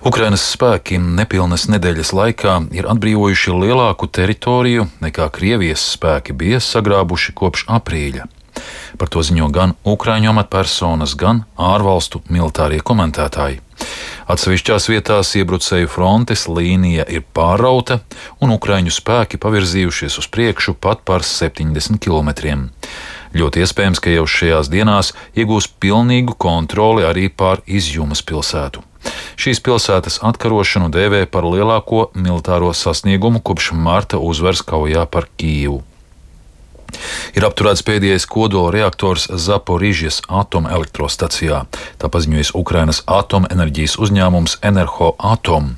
Ukrainas spēki nepilnas nedēļas laikā ir atbrīvojuši lielāku teritoriju nekā Krievijas spēki bija sagrābuši kopš aprīļa. Par to ziņo gan ukraiņu amatpersonas, gan ārvalstu militārie komentētāji. Atsevišķās vietās iebrucēju frontes līnija ir pārrauta, un ukraiņu spēki pavirzījušies uz priekšu pat par 70 km. Ļoti iespējams, ka jau šajās dienās iegūs pilnīgu kontroli arī pār Izjumas pilsētu. Šīs pilsētas atkarošanu dēvē par lielāko militāro sasniegumu kopš marta uzvaras kaujā par Kijivu. Ir apturēts pēdējais kodola reaktors Zaporižjas atomelektrostacijā, tā paziņojas Ukrainas atomenerģijas uzņēmums Enerhoatom.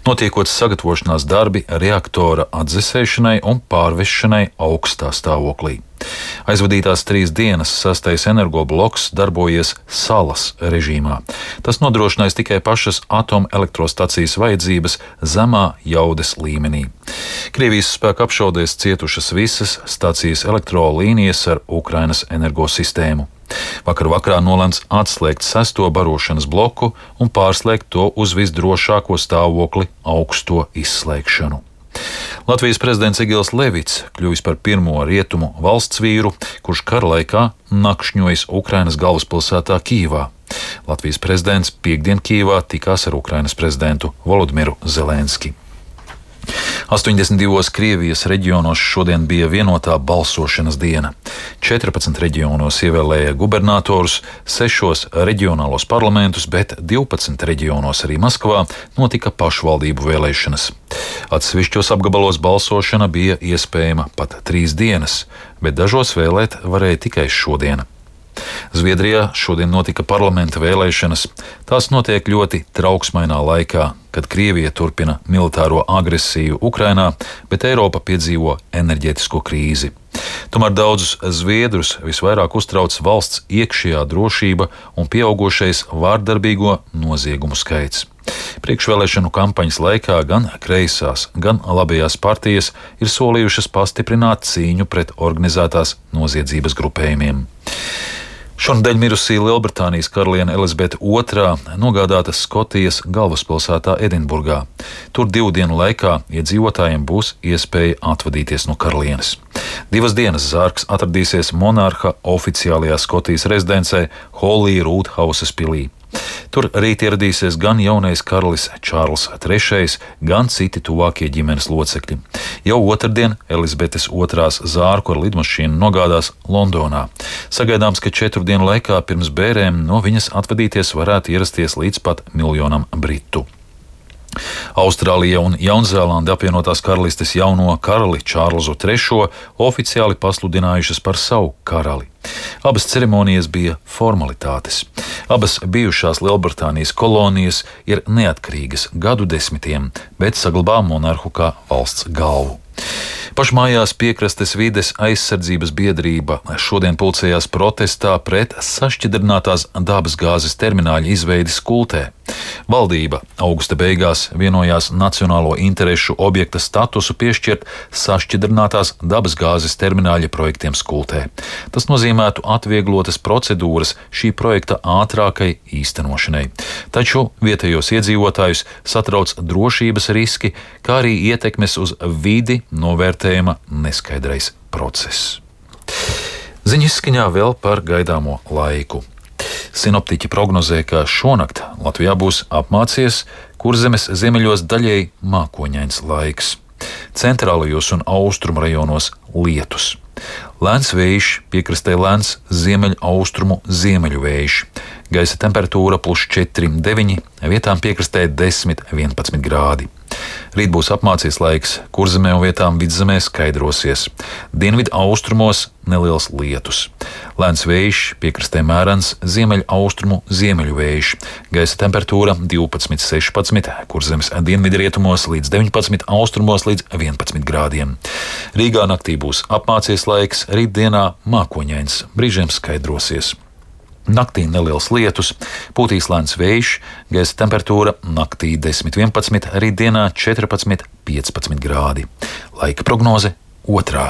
Notiekot sagatavošanās darbi reaktora atdzesēšanai un pārvešanai augstā stāvoklī. Aizvadītās 3 dienas 6. energobloks darbojies salas režīmā. Tas nodrošinājis tikai pašas atomelektrostacijas vajadzības zemā jaudas līmenī. Krievijas spēku apšaudēs cietušas visas stacijas elektrolīnijas ar Ukrainas energosistēmu. Vakar vakarā nolemts atslēgt 6. barošanas bloku un pārslēgt to uz visdrošāko stāvokli augsto izslēgšanu. Latvijas prezidents Egils Levits kļuvis par pirmo rietumu valsts vīru, kurš kara laikā nakšņojis Ukrainas galvaspilsētā Kijivā. Latvijas prezidents piektdien Kijivā tikās ar Ukrainas prezidentu Volodimiru Zelenski. 82 Krievijas reģionos šodien bija vienotā balsošanas diena. 14 reģionos ievēlēja gubernatorus, 6 reģionālos parlamentus, bet 12 reģionos arī Maskavā notika pašvaldību vēlēšanas. Atsevišķos apgabalos balsošana bija iespējama pat 3 dienas, bet dažos vēlēt varēja tikai šodien. Zviedrijā šodien notika parlamenta vēlēšanas. Tās notiek ļoti trauksmainā laikā, kad Krievija turpina militāro agresiju Ukrainā, bet Eiropa piedzīvo enerģētisko krīzi. Tomēr daudzus zviedrus visvairāk uztrauc valsts iekšējā drošība un pieaugušais vārdarbīgo noziegumu skaits. Priekšvēlēšanu kampaņas laikā gan kreisās, gan labējās partijas ir solījušas pastiprināt cīņu pret organizētās noziedzības grupējumiem. Šonadēļ mirusī Lielbritānijas karaliene Elizabete II nogādāta Skotijas galvaspilsētā Edinburgā. Tur 2 dienu laikā iedzīvotājiem būs iespēja atvadīties no karalienes. 2 dienas zārks atradīsies monarha oficiālajā Skotijas rezidencē Holyroodhauses pilī. Tur rīt ieradīsies gan jaunais karalis Čārls III, gan citi tuvākie ģimenes locekļi. Jau otrdien Elizabetes II zārku ar lidmašīnu nogādās Londonā. Sagaidāms, ka 4 dienu laikā pirms bērēm no viņas atvadīties varētu ierasties līdz pat 1 miljonu britu. Austrālija un Jaunzēlande apvienotās karalistes jauno karali Čārlzu III oficiāli pasludinājušas par savu karali. Abas ceremonijas bija formalitātes. Abas bijušās Lielbritānijas kolonijas ir neatkarīgas gadu desmitiem, bet saglabā monarhu kā valsts galvu. Pašmājās Piekrastes vides aizsardzības biedrība šodien pulcējās protestā pret sašķidrinātās dabasgāzes termināļa izveidi Skultē. Valdība augusta beigās vienojās nacionālo interešu objekta statusu piešķirt sašķidrinātās dabasgāzes termināļa projektiem Skultē. Tas nozīmētu atvieglotas procedūras šī projekta ātrākai īstenošanai. Taču vietējos iedzīvotājus satrauc drošības riski, kā arī ietekmes uz vidi novērtējuma neskaidrais process. Ziņu izskaņā vēl par gaidāmo laiku. Sinoptiķi prognozē, ka šonakt Latvijā būs apmācies, Kurzemes ziemeļos daļēji mākoņains laiks. Centrālajos un austrumu rajonos lietus. Lēns vējš, piekrastē lēns ziemeļaustrumu ziemeļu vējš. Gaisa temperatūra +4, 9, vietām piekrastē 10, 11 grādi. Rīt būs apmācies laiks, Kurzemē un vietām vidzemē skaidrosies. Dienvidu austrumos neliels lietus. Lēns vējš, piekrastē mērens ziemeļaustrumu ziemeļu vējš. Gaisa temperatūra 12, 16, Kurzemes dienvidrietumos līdz 19, austrumos līdz 11 grādiem. Rīgā naktī būs apmācies laiks, rītdienā mākoņains, brīžiem skaidrosies. Naktī neliels lietus, pūtīs lēns vējš, gaisa temperatūra naktī 10, 11, rītdienā 14, 15 grādi. Laika prognoze 2.